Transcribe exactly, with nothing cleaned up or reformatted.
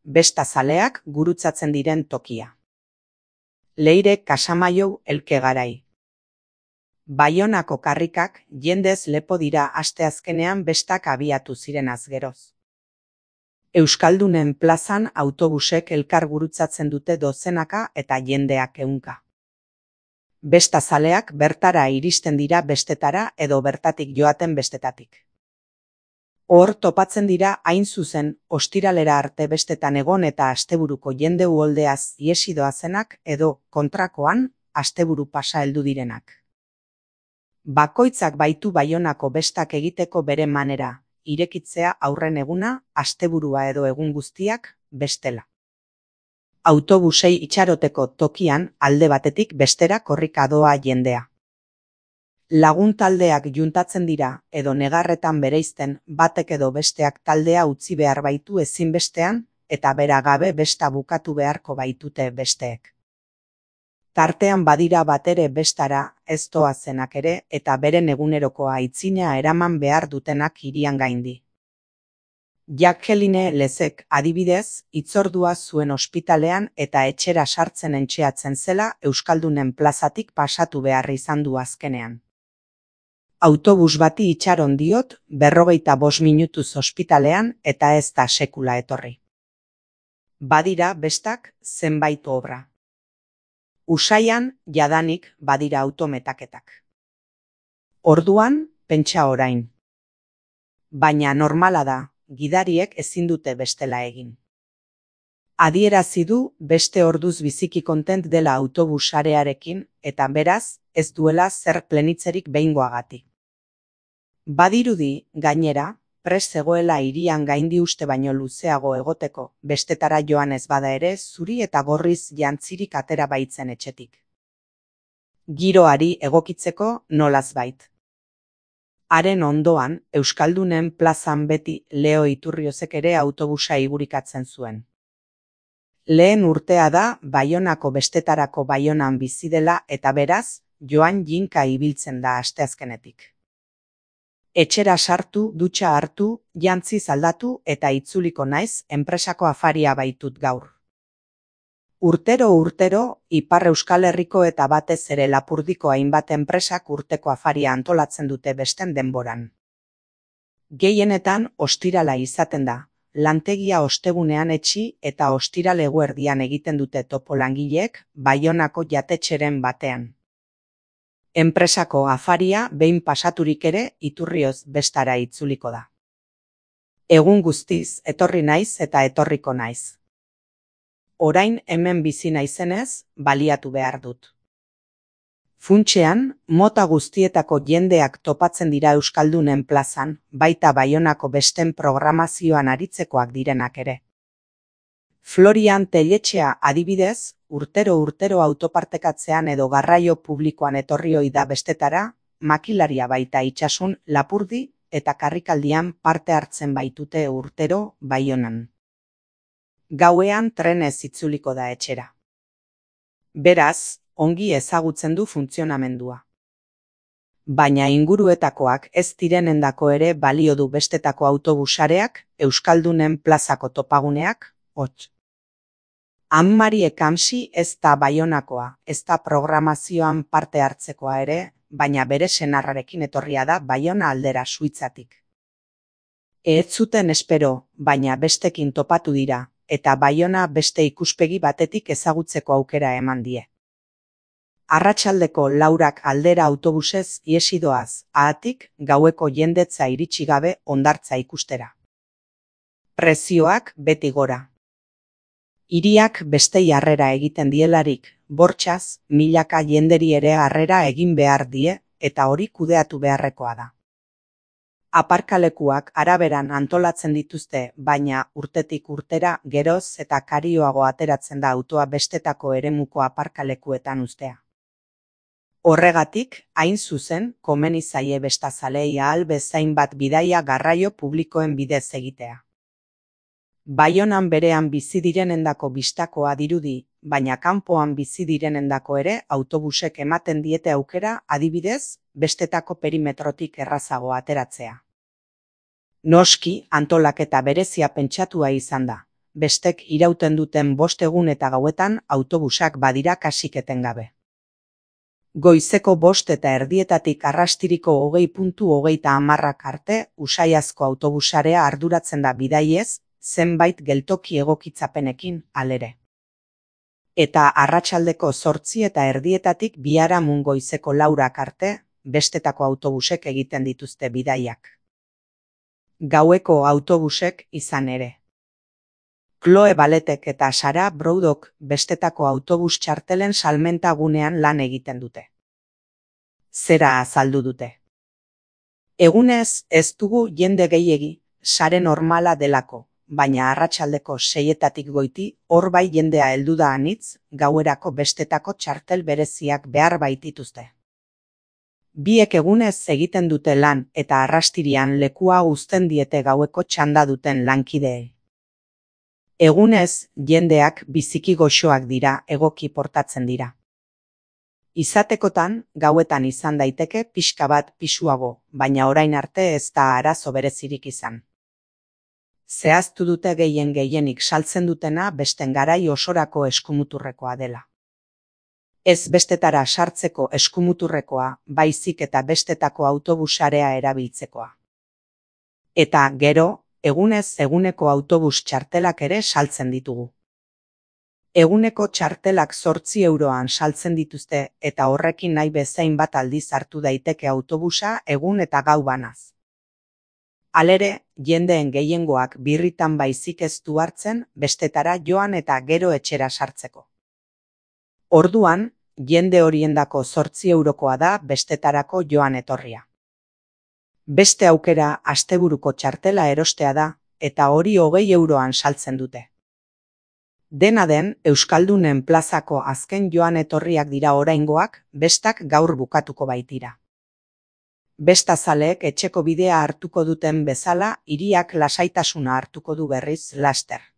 bestazaleak gurutzatzen diren tokia. Leire Casamaiou Elkegarai. Baionako karrikak jendez lepo dira asteazkenean bestak abiatu zirenaz geroz. Euskaldunen plazan autobusek elkar gurutzatzen dute dozenaka eta jendeak ehunka. Bestazaleak bertara iristen dira bestetara edo bertatik joaten bestetatik. Hor topatzen dira hain zuzen ostiralera arte bestetan egon eta asteburuko jende uholdeaz iesi doazenak edo kontrakoan asteburu pasa heldu direnak. Bakoitzak baitu Baionako bestak egiteko bere manera, irekitzea aurren eguna, asteburua edo egun guztiak bestela. Autobusei itxaroteko tokian alde batetik bestera korrika doa jendea. Lagun taldeak juntatzen dira edo negarretan bereizten batek edo besteak taldea utzi behar baitu ezinbestean eta bera gabe besta bukatu beharko baitute besteek. Tartean badira batere bestara ez doazenak ere eta beren egunerokoa aitzina eraman behar dutenak hirian gaindi. Jacqueline Lezek adibidez, hitzordua zuen ospitalean eta etxera sartzen entxeatzen zela Euskaldunen plazatik pasatu behar izan du azkenean. Autobus bati itxaron diot berrogeita bost minutuz ospitalean eta ez da sekula etorri. Badira bestak zenbait obra. Usaian jadanik badira autometaketak. Orduan pentsa orain. Baina normala da, gidariek ezin dute bestela egin. Adierazi du beste orduz biziki kontent dela autobus sarearekin eta beraz ez duela zer plenitzerik behingoagatik. Badirudi, gainera, prest zegoela hirian gaindi uste baino luzeago egoteko, bestetara joan ez bada ere zuri eta gorriz jantzirik atera baitzen etxetik. Giroari egokitzeko nolaz bait. Haren ondoan, Euskaldunen plazan beti Leo Iturriozek ere autobusa igurikatzen zuen. Lehen urtea da Baionako bestetarako Baionan bizi dela eta beraz, joan jinka ibiltzen da asteazkenetik. Etxera sartu, dutxa hartu, jantziz aldatu eta itzuliko naiz enpresako afaria baitut gaur. Urtero urtero, Ipar Euskal Herriko eta batez ere Lapurdiko hainbat enpresak urteko afaria antolatzen dute besten denboran. Gehienetan ostirala izaten da, lantegia ostegunean etxi eta ostiral eguerdian egiten dute topo langileek Baionako jatetxeren batean. Enpresako afaria behin pasaturik ere Iturrioz bestara itzuliko da. Egun guztiz etorri naiz eta etorriko naiz. Orain hemen bizi naizenez, baliatu behar dut. Funtsean, mota guztietako jendeak topatzen dira Euskaldunen plazan, baita Baionako besten programazioan aritzekoak direnak ere. Florian Telletxea adibidez, urtero urtero autopartekatzean edo garraio publikoan etorri ohi da bestetara, makilaria baita itsasun, Lapurdi eta karrikaldian parte hartzen baitute urtero Baionan. Gauean trenez itzuliko da etxera. Beraz, ongi ezagutzen du funtzionamendua. Baina inguruetakoak ez direnendako ere balio du bestetako autobusareak, Euskaldunen plazako topaguneak, hots. Ann-Mari Ekamsi ez da Baionakoa, ez da programazioan parte hartzekoa ere, baina bere senarrarekin etorria da Baiona aldera Suitzatik. Ez zuten espero, baina bestekin topatu dira, eta Baiona beste ikuspegi batetik ezagutzeko aukera eman die. Arratsaldeko laurak aldera autobusez iesi doaz, haatik gaueko jendetza iritsi gabe hondartza ikustera. Prezioak beti gora. Hiriak bestei harrera egiten dielarik, bortxaz, milaka jenderi ere harrera egin behar die, eta hori kudeatu beharrekoa da. Aparkalekuak araberan antolatzen dituzte, baina urtetik urtera geroz eta karioago ateratzen da autoa bestetako eremuko aparkalekuetan uztea. Horregatik, hain zuzen, komeni zaie bestazalei ahal bezain bat bidaia garraio publikoen bidez egitea. Baionan berean bizi direnendako bistakoa dirudi, baina kanpoan bizi direnendako ere autobusek ematen diete aukera adibidez, bestetako perimetrotik errazago ateratzea. Noski, antolaketa berezia pentsatua izan da, bestek irauten duten bost egun eta gauetan autobusak badira kasik etengabe. Goizeko bost eta erdietatik arrastiriko hogei puntu hogeita hamarrak arte usaiazko autobusarea arduratzen da bidaiez, zenbait geltoki egokitzapenekin, halere. Eta arratsaldeko zortzi eta erdietatik biharamun goizeko laurak arte, bestetako autobusek egiten dituzte bidaiak. Gaueko autobusek izan ere. Chloe Baletek eta Sara Broudok bestetako autobus txartelen salmenta gunean lan egiten dute. Zera azaldu dute. Egunez ez dugu jende gehiegi, sare normala delako, baina arratsaldeko seietatik goiti hor bai jendea heldu da anitz, gauerako bestetako txartel bereziak behar baitituzte. Biek egunez egiten dute lan eta arrastirian lekua uzten diete gaueko txanda duten lankideei. Egunez, jendeak biziki goxoak dira, egoki portatzen dira. Izatekotan, gauetan izan daiteke pixka bat pisuago, baina orain arte ez da arazo berezirik izan. Zehaztu dute gehien gehienik saltzen dutena besten garai osorako eskumuturrekoa dela. Ez bestetara sartzeko eskumuturrekoa, baizik eta bestetako autobusarea erabiltzekoa. Eta gero, egunez eguneko autobus txartelak ere saltzen ditugu. Eguneko txartelak zortzi euroan saltzen dituzte eta horrekin nahi bezain bat aldiz hartu daiteke autobusa egun eta gau banaz. Halere, jendeen gehiengoak birritan baizik ez du hartzen bestetara joan eta gero etxera sartzeko. Orduan, jende horiendako zortzi eurokoa da bestetarako joan etorria. Beste aukera asteburuko txartela erostea da, eta hori hogei euroan saltzen dute. Dena den, Euskaldunen plazako azken joan etorriak dira oraingoak, bestak gaur bukatuko baitira. Bestazaleek etxeko bidea hartuko duten bezala, hiriak lasaitasuna hartuko du berriz laster.